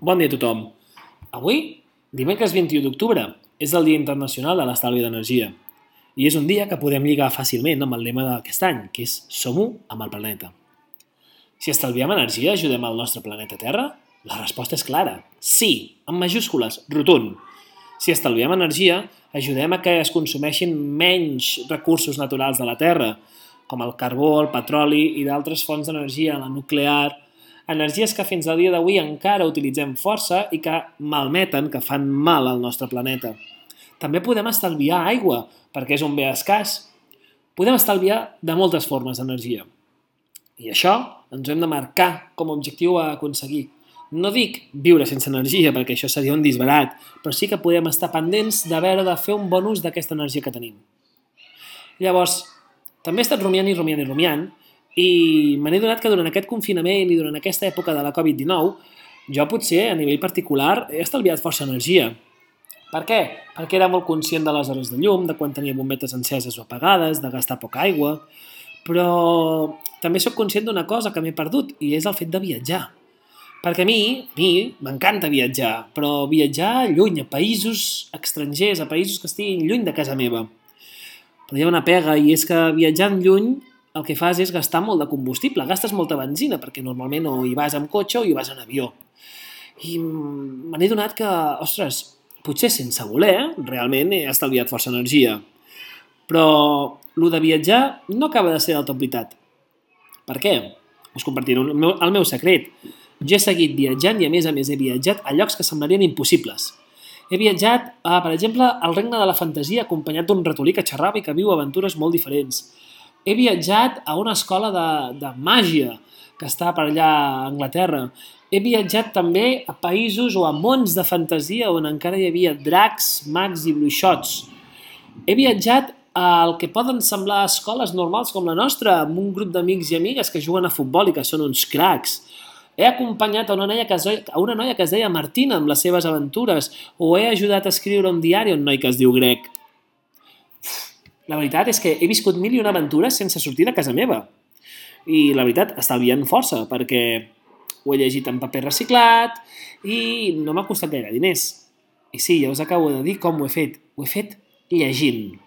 Bon dia a tothom. Avui, dimecres 21 d'octubre, és el Dia Internacional de l'Estalvi d'Energia. I és un dia que podem lligar fàcilment amb el lema d'aquest any, que és Som-u amb el planeta. Si estalviem energia, ajudem al nostre planeta Terra? La resposta és clara. Sí, amb majúscules, rotund. Si estalviem energia, ajudem a que es consumeixin menys recursos naturals de la Terra, com el carbó, el petroli i d'altres fonts d'energia, la nuclear, energies que fins al dia d'avui encara utilitzem força i que malmeten, que fan mal al nostre planeta. També podem estalviar aigua, perquè és un bé escàs. Podem estalviar de moltes formes d'energia. I això ens ho hem de marcar com a objectiu a aconseguir. No dic viure sense energia, perquè això seria un disbarat, però sí que podem estar pendents de veure de fer un bon ús d'aquesta energia que tenim. Llavors, també he estat rumiant i me n'he donat que durant aquest confinament i durant aquesta època de la Covid-19 jo potser a nivell particular he estalviat força energia. Per què? Perquè era molt conscient de les hores de llum, de quan tenia bombetes enceses o apagades, de gastar poca aigua, però també sóc conscient d'una cosa que m'he perdut i és el fet de viatjar. Perquè a mi m'encanta viatjar, però viatjar lluny, a països estrangers, a països que estiguin lluny de casa meva. Però hi ha una pega i és que viatjant lluny el que fas és gastar molt de combustible, gastes molta benzina, perquè normalment o hi vas amb cotxe o hi vas en avió. I me n'he donat que, ostres, potser sense voler, realment he estalviat força energia. Però el de viatjar no acaba de ser del tot veritat. Per què? Us compartiré el meu secret. Jo he seguit viatjant i a més he viatjat a llocs que semblarien impossibles. He viatjat, per exemple, al regne de la fantasia acompanyat d'un ratolí que xerrava i que viu aventures molt diferents. He viatjat a una escola de màgia que està per allà a Anglaterra. He viatjat també a països o a mons de fantasia on encara hi havia dracs, mags i bruixots. He viatjat al que poden semblar escoles normals com la nostra, amb un grup d'amics i amigues que juguen a futbol i que són uns cracs. He acompanyat a una noia que es deia Martina amb les seves aventures, o he ajudat a escriure un diari a un noi que es diu Greg. La veritat és que he viscut 1001 aventures sense sortir de casa meva. I la veritat, estalviant força, perquè ho he llegit en paper reciclat i no m'ha costat gaire diners. I sí, ja us acabo de dir com ho he fet. Ho he fet llegint.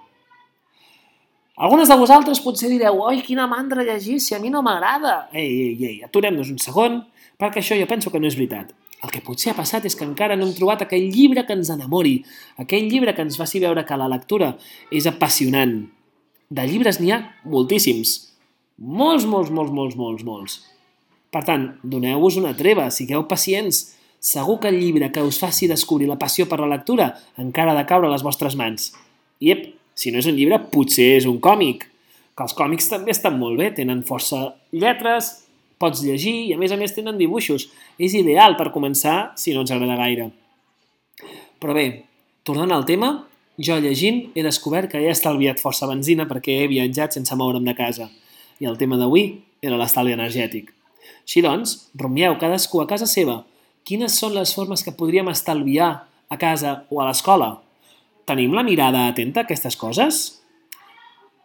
Algunes de vosaltres potser direu «Oi, quina mandra llegir, si a mi no m'agrada!» Ei, aturem-nos un segon, perquè això jo penso que no és veritat. El que potser ha passat és que encara no hem trobat aquell llibre que ens enamori, aquell llibre que ens faci veure que la lectura és apassionant. De llibres n'hi ha moltíssims. Molts. Per tant, doneu-vos una treva, sigueu pacients. Segur que el llibre que us faci descobrir la passió per la lectura encara ha de caure a les vostres mans. I si no és un llibre, potser és un còmic. Que els còmics també estan molt bé, tenen força lletres, pots llegir i a més tenen dibuixos. És ideal per començar si no ens agrada gaire. Però bé, tornant al tema, jo llegint he descobert que he estalviat força benzina perquè he viatjat sense moure'm de casa. I el tema d'avui era l'estalvi energètic. Així doncs, rumieu cadascú a casa seva. Quines són les formes que podríem estalviar a casa o a l'escola? Tenim la mirada atenta a aquestes coses?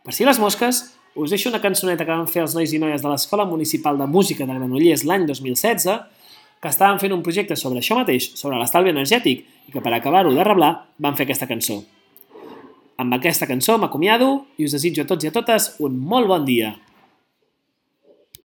Per si les mosques, us deixo una cançoneta que van fer els nois i noies de l'Escola Municipal de Música de Granollers l'any 2016, que estaven fent un projecte sobre això mateix, sobre l'estalvi energètic, i que per acabar-ho de reblar van fer aquesta cançó. Amb aquesta cançó m'acomiado i us desitjo a tots i a totes un molt bon dia.